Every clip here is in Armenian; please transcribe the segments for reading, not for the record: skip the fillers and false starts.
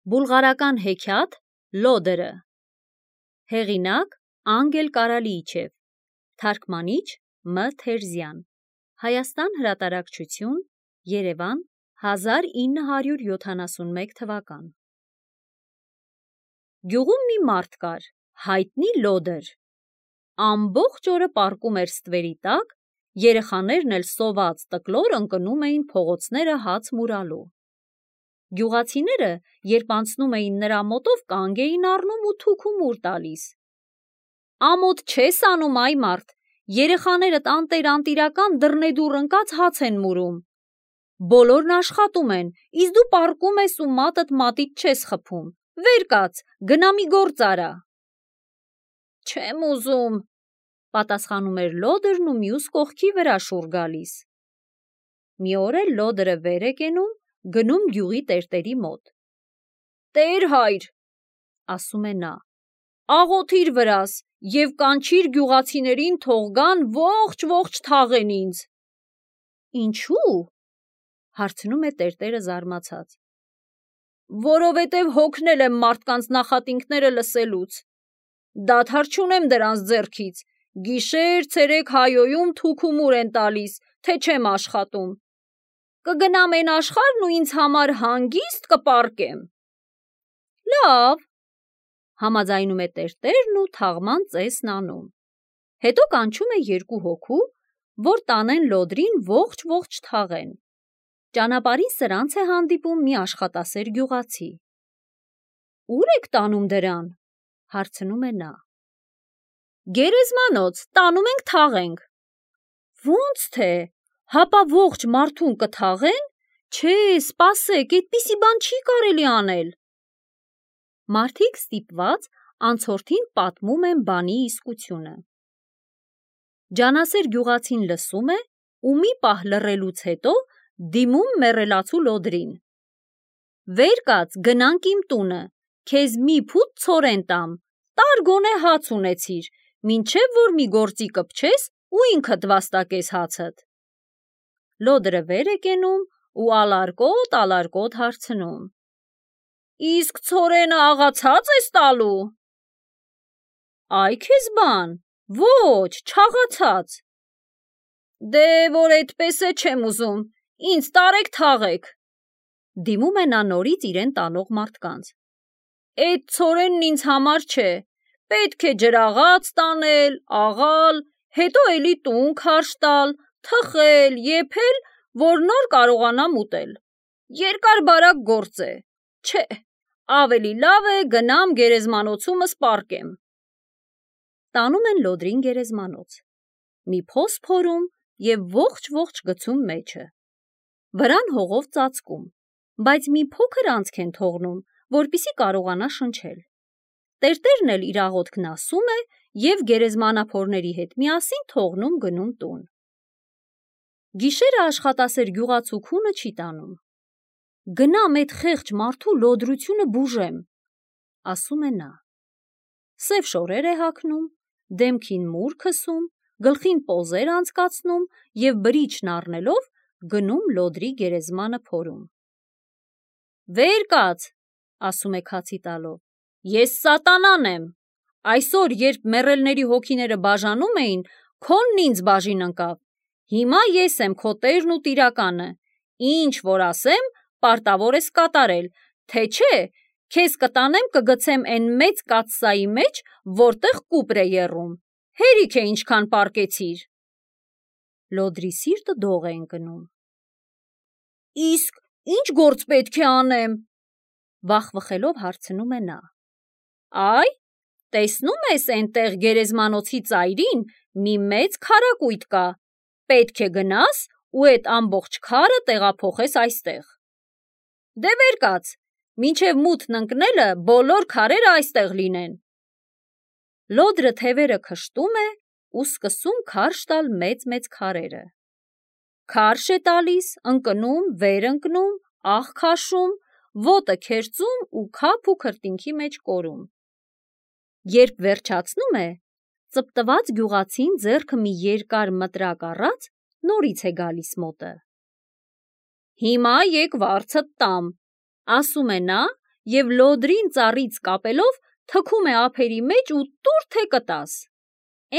Բուլղարական հեքիաթ Լոդերը։ Հեղինակ Անգել Կարալիիչև, թարգմանիչ Մ. Թերզյան, Հայաստան հրատարակչություն, Երևան, 1971 թվական։ Գյուղում մի մարդ կար, հայտնի Լոդեր։ Ամբողջ օրը պառկում էր ստվերի տակ, երեխաներն էլ սոված տկլոր ընկնում էին փողոցները հաց մուրալու։ Գյուղացիները, երբ անցնում էին նրա մոտով, կանգ էին առնում ու թուք ու մուր տալիս։ Ամոթ չես անում, այ մարդ, երեխաներդ անտեր-անտիրական դռնեդուռ ընկած հաց են մուրում։ Բոլորն աշխատում են, իսկ դու պառկում ես ու մատդ մատից չես խփում։ Վեր կաց, գնա մի գործ արա։ Չեմ ուզում, պատասխանում էր Լոդերն ու մյուս կողքի վրա շուռ գալիս։ Մի օր էլ Լոդերը վեր է կենում, գնում գյուղի տերտերի մոտ։ Տեր հայր, ասում է նա, աղոթիր վրաս և կանչիր գյուղացիներին թող գան ողջ թաղեն ինձ։ Ինչու՞, հարցնում է տերտերը զարմացած։ Որովհետև հոգնել եմ մարդկանց նախատինքները լսելուց։ Դադար չունեմ դրանց ձեռքից, գիշեր-ցերեկ հայոյում թուք ու մուր են տալիս, թե չեմ աշխատում։ Կգնամ են աշխարհն ու ինձ համար հանգիստ կպառկեմ։ Լավ, համաձայնում է տերտերն ու թաղման ծեսն անում։ Հետո կանչում է երկու հոգու, որ տանեն Լոդրին ողջ թաղեն։ Ճանապարհին սրանց է հանդիպում մի աշխատասեր գյուղացի։ Ուր եք տանում դրան, հարցնում է նա։ Գերեզմանոց, տանում ենք թաղենք։ Ո՞նց թե, հապա ողջ մարդուն կթաղեն։ Չէ, սպասեք, այդպիսի բան չի կարելի անել։ Մարդիկ ստիպված անցորդին պատմում են բանի իսկությունը։ Ջանասեր գյուղացին լսում է ու մի պահ լռելուց հետո դիմում մեռելացու Լոդրին։ Վեր կաց, գնանք իմ տունը, քեզ մի փուտ ցորեն տամ, տար գոնե հաց ունեցիր, մինչև որ մի գործի կպչես ու ինքդ վաստակես հացդ։ Լոդերը վեր է կենում ու ալարկոտ հարցնում. Իսկ ցորենը աղացած ես տալու։ Այ քեզ բան, ոչ, չաղացած։ Դե որ էդպես է չեմ ուզում, ինձ տարեք թաղեք։ Դիմում է նա նորից իրեն տանող մարդկանց։ Էդ ցորենն ինձ համար չէ, պետք է ջրաղաց տանել, աղալ, հետո էլի տուն քարշ տալ, թխել, եփել, որ նոր կարողանամ ուտել։ Երկար-բարակ գործ է, չէ, ավելի լավ է գնամ գերեզմանոցումս պառկեմ։ Տանում են Լոդրին գերեզմանոց։ Մի փոս փորում և ողջ գցում մեջը։ Վրան հողով ծածկում, բայց մի փոքր անցք են թողնում, որպեսզի կարողանա շնչել։ Տերտերն էլ իր աղոթքն ասում է և գերեզմանափորների հետ միասին թողնում գնում տուն։ Գիշերը աշխատասեր գյուղացու քունը չի տանում։ Գնամ էդ խեղճ մարդու լոդրությունը բուժեմ, ասում է նա։ Սև շորեր է հագնում, դեմքին մուր քսում, գլխին պոզեր անցկացնում և բրիչն առնելով գնում Լոդրի գերեզմանը փորում։ Վեր կաց, ասում է քացի տալով, ես սատանան եմ։ Այսօր, երբ մեռելների հոգիները բաժանում էին, քոնն ինձ բաժին ընկավ։ Հիմա ես եմ քո տերն ու տիրականը։ Ինչ որ ասեմ, պարտավոր ես կատարել, թե չէ, քեզ կտանեմ կգցեմ էն մեծ կաթսայի մեջ, որտեղ կուպր է եռում։ Հերիք է ինչքան պառկեցիր։ Լոդրի սիրտը դող է ընկնում։ Իսկ ինչ գործ պետք է անեմ, վախվխելով հարցնում է նա։ Այ, տեսնում ես էնտեղ գերեզմանոցի ծայրին մի մեծ քարակույտ կա, պետք է գնաս ու էդ ամբողջ քարը տեղափոխես այստեղ։ Դե վեր կաց, մինչև մութն ընկնելը բոլոր քարերը այստեղ լինեն։ Լոդրը թևերը քշտում է ու սկսում քարշ տալ մեծ քարերը։ Քարշ է տալիս, ընկնում, վեր ընկնում, աղ քաշում, ոտը քերծում ու քափ ու քրտինքի մեջ կորում։ Երբ վերջացնում է, ծպտված գյուղացին ձեռքը մի երկար մտրակ առած նորից է գալիս մոտը։ Հիմա եկ վարձդ տամ, ասում է նա և լոդրին ծառից կապելով թքում է ափերի մեջ ու տուր թե կտաս։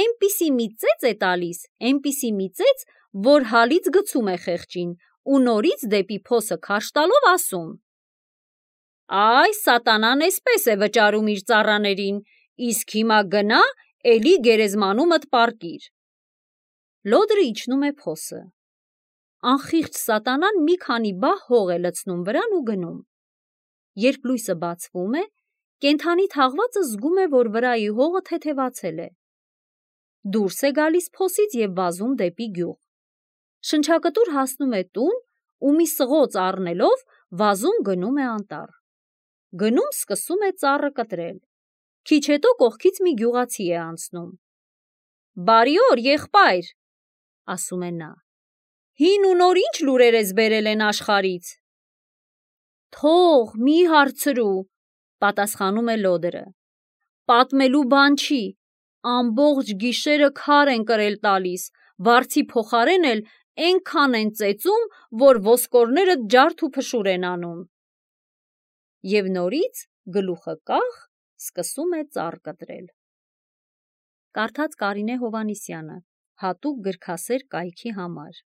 Էնպիսի մի ծեծ է տալիս, էնպիսի մի ծեծ, որ հալից գցում է խեղճին ու նորից դեպի փոսը քարշ տալով ասում. «Այ սատանան էսպես է վճարում իր ծառաներին, իսկ հիմա գնա, էլի գերեզմանումդ պառկիր»։ Լոդրը իջնում է փոսը։ Անխիղճ սատանան մի քանի բահ հող է լցնում վրան ու գնում։ Երբ լույսը բացվում է, կենդանի թաղվածը զգում է, որ վրայի հողը թեթևացել է։ Դուրս է գալիս փոսից և վազում դեպի գյուղ։ Շնչակտուր հասնում է տուն ու մի սղոց առնելով վազում գնում է անտառ։ Գնում սկսում է ծառը կտրել։ Քիչ հետո կողքից մի գյուղացի է անցնում։ «Բարի օր, եղբայր», ասում է նա, «հին ու նոր ինչ լուրեր ես բերել են աշխարհից»։ «Թող, մի հարցրու», պատասխանում է լոդրը, «պատմելու բան չի, ամբողջ գիշերը քար են կրել տալիս, վարձի փոխարեն էլ էնքան են ծեծում, որ ոսկորներդ ջարդ ու փշուր են անում»։ Եվ նորից գլուխը կախ սկսում է ծառ կտրել։ Կարդաց Կարինե Հովհաննիսյանը, հատուկ գրքասեր կայքի համար։